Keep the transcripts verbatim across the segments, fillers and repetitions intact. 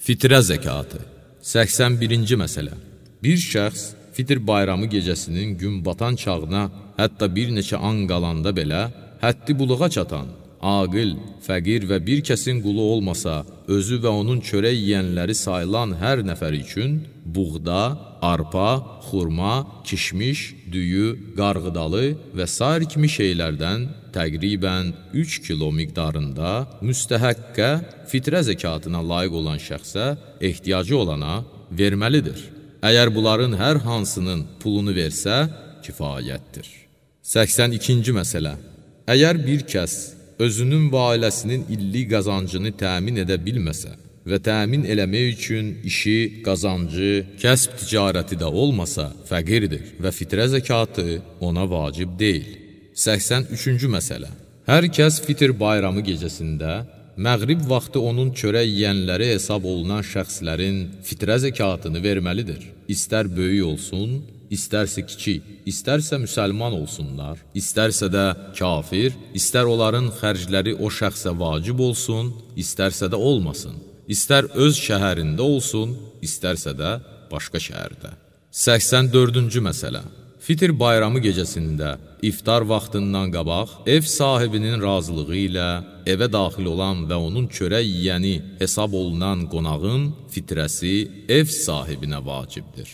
Fitrə zəkatı. səksən birinci məsələ. Bir şəxs fitr bayramı gecəsinin gün batan çağına, hətta bir neçə an qalanda belə, həddi buluğa çatan, aqil, fəqir və bir kəsin qulu olmasa, özü və onun çörək yeyənləri sayılan hər nəfər üçün buğda, arpa, xurma, kişmiş, düyü, qarğıdalı və sair kimi şeylərdən təqribən üç kilo miqdarında müstəhəqqə fitrə zəkatına layiq olan şəxsə ehtiyacı olana verməlidir. Əgər bunların hər hansının pulunu versə, kifayətdir. səksən ikinci məsələ. Əgər bir kəs özünün və ailəsinin illik qazancını təmin edə bilməsə və təmin eləmək üçün işi, qazancı, kəsb ticarəti də olmasa, fəqirdir və fitrə zəkatı ona vacib deyil. səksən üçüncü məsələ. Hər kəs fitr bayramı gecəsində məğrib vaxtı onun çörək yeyənləri hesab olunan şəxslərin fitrə zəkatını verməlidir. İstər böyük olsun, İstərsə kiçik, istərsə müsəlman olsunlar, istərsə də kafir, istər onların xərcləri o şəxsə vacib olsun, istərsə də olmasın, istər öz şəhərində olsun, istərsə də başqa şəhərdə. səksən dördüncü məsələ. Fitr bayramı gecəsində iftar vaxtından qabaq ev sahibinin razılığı ilə evə daxil olan və onun çörək yeyəni hesab olunan qonağın fitrəsi ev sahibinə vacibdir.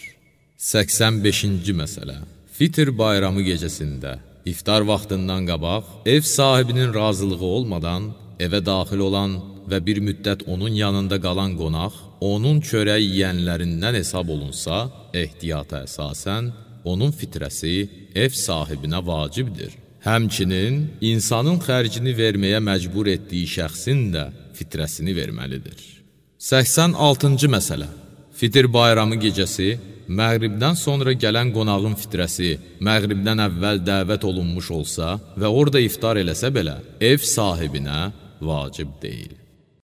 səksən beşinci məsələ. Fitr bayramı gecəsində iftar vaxtından qabaq ev sahibinin razılığı olmadan evə daxil olan və bir müddət onun yanında qalan qonaq onun çörək yeyənlərindən hesab olunsa, ehtiyata əsasən onun fitrəsi ev sahibinə vacibdir. Həmçinin insanın xərcini verməyə məcbur etdiyi şəxsin də fitrəsini verməlidir. səksən altıncı məsələ. Fitr bayramı gecəsi məğribdən sonra gələn qonağın fitrəsi məğribdən əvvəl dəvət olunmuş olsa və orada iftar eləsə belə, ev sahibinə vacib deyil.